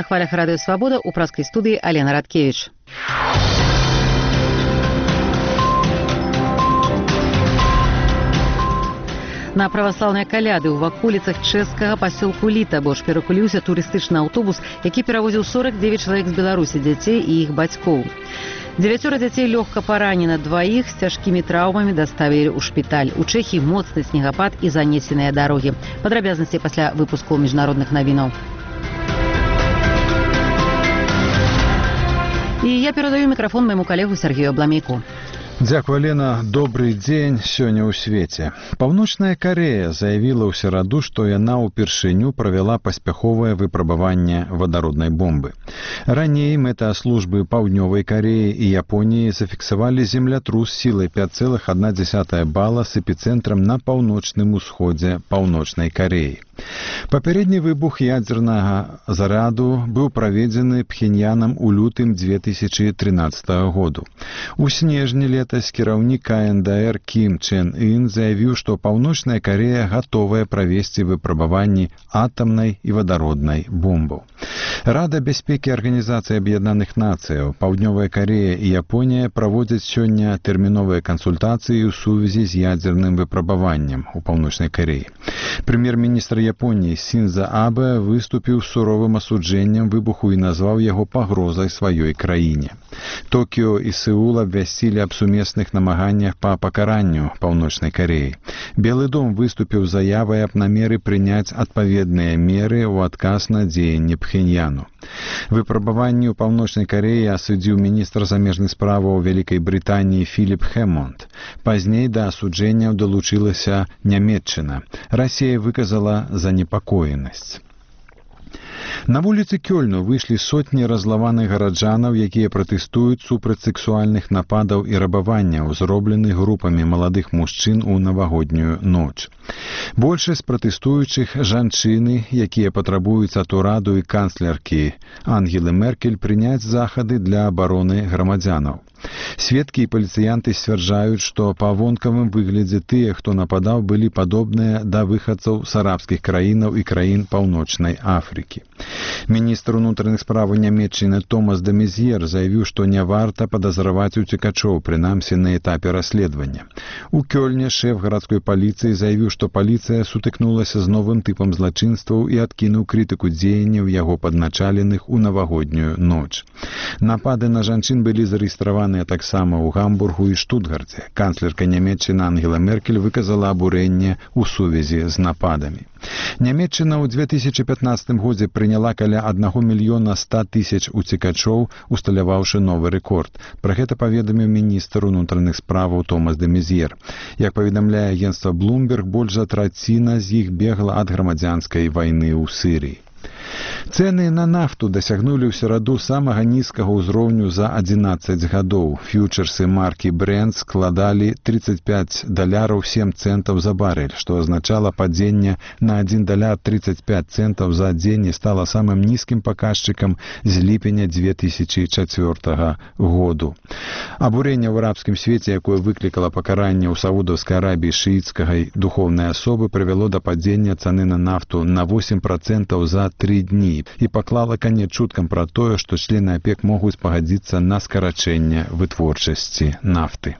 хвалях радыё «Свабода» у праскай студыі Алена Радкевіч. На праваслаўныя каляды ў ваколіцах чэшскага пасёлку Літаборж перакуліўся турыстычны аўтобус, які перавозіў 49 чалавек з Беларусі, дзяцей і іх бацькоў. 9 дзяцей лёгка паранена, 2 з цяжкімі траўмамі даставілі ў шпіталь. У Чэхіі моцны снегапад і занесеныя дарогі. Падрабязнасці пасля выпуску міжнародных навінаў. І я перадаю мікрафон майму калегу Сергею Абламейку. Дзякуй, Алена. Добрый дзень сёння ў свеце. Паўночная Карэя заявіла ў сераду, што яна ўпершыню правяла паспяховае выпрабаванне вадароднай бомбы. Раней мэтааслужбы Паўднёвай Карэі і Японіі зафіксавалі землятрус сілай 5,1 бала з эпіцэнтрам на паўночным усходзе Паўночнай Карэі. Папярэдні выбух ядзернага заряду быў праведзены Пхеньянам у лютым 2013 году. У снежні летась кіраўнік КНДР Кім Чен Ын заявіў, што Паўночная Карэя гатовая правесці выпрабаванні атамнай і вадароднай бомбаў. Рада бяспекі Арганізацыі Аб'яднаных Нацыяў, Паўднёвая Карэя і Японія праводзяць сёння тэрміновыя кансультацыі ў сувязі з ядзерным выпрабаваннем у Паўночнай Карэі. Прэм'ер-міністр Японіі Сінза Абэ выступіў з суровым асуджэннем выбуху і назваў яго пагрозай сваёй краіне. Токіо і Сеул абвясцілі аб сумесных намаганнях па пакаранню Паўночнай Карэі. Белы дом выступіў з заявай аб намеры прыняць адпаведныя меры ў адказ на дзеянні Пхеньяну. Выпрабаванне ў Паўночнай Карэі асудзіў міністр замежных справаў Вялікай Брытаніі Філіп Хэмонд. Пазней да асуджэнняў далучылася Нямецчына. Расія выказала занепакоенасць. На вуліцы Кёльну выйшлі сотні разлаваных гараджанаў, якія пратэстуюць супраць сексуальных нападаў і рабаванняў, зробленых групамі маладых мужчын у навагоднюю ноч. Большасць пратэстуючых жанчыны, якія патрабуюць ад ураду і канцлеркі Ангелы Меркель прыняць захады для абароны грамадзянаў. Сведкі і паліцыянты сцвярджаюць, што па вонкавым выглядзе тыя, хто нападаў, былі падобныя да выхадцаў з арабскіх краінаў і краін Паўночнай Афрыкі. Міністр унутраных справаў Нямецчыны Томас де Мезьер заявіў, што не варта падазраваць уцекачоў, прынамсі на этапе расследавання. У Кёльне шэф гарадской паліцыі заявіў, што паліцыя сутыкнулася з новым тыпам злачынстваў і адкінуў крытыку дзеянняў яго падначаленых у навагоднюю ноч. Напады на жанчын былі зарэгістраваны таксама ў Гамбургу і Штутгарце. Канцлерка Нямецчыны Ангела Меркель выказала абурэнне ў сувязі з нападамі. Нямецчына ў 2015 годзе прыняла каля 1 мільёна 100 000 уцекачоў, усталяваўшы новы рэкорд. Пра гэта паведаміў міністр унутраных справаў Томас де Мезьер. Як паведамляе агенцтва Bloomberg, больш за траціна з іх бегла ад грамадзянскай вайны ў Сірыі. Цэны на нафту дасягнулі ў сераду самага нізкага ўзроўню за 11 гадоў. Фьючерсы маркі Brent складалі $35.07 за барэль, што азначала падзенне на $1.35 за дзень і стала самым нізкім паказчыкам з ліпеня 2004 году. Абурэнне ў арабскім свеце, якое выклікала пакаранне ў Саудаўскай Арабіі шыіцкай духоўнай асобы, прывяло да падзення цаны на нафту на 8% за 3 дні і паклала канец чуткам пра тое, што члены ОПЕК могуць пагадзіцца на скарачэнне вытворчасці нафты.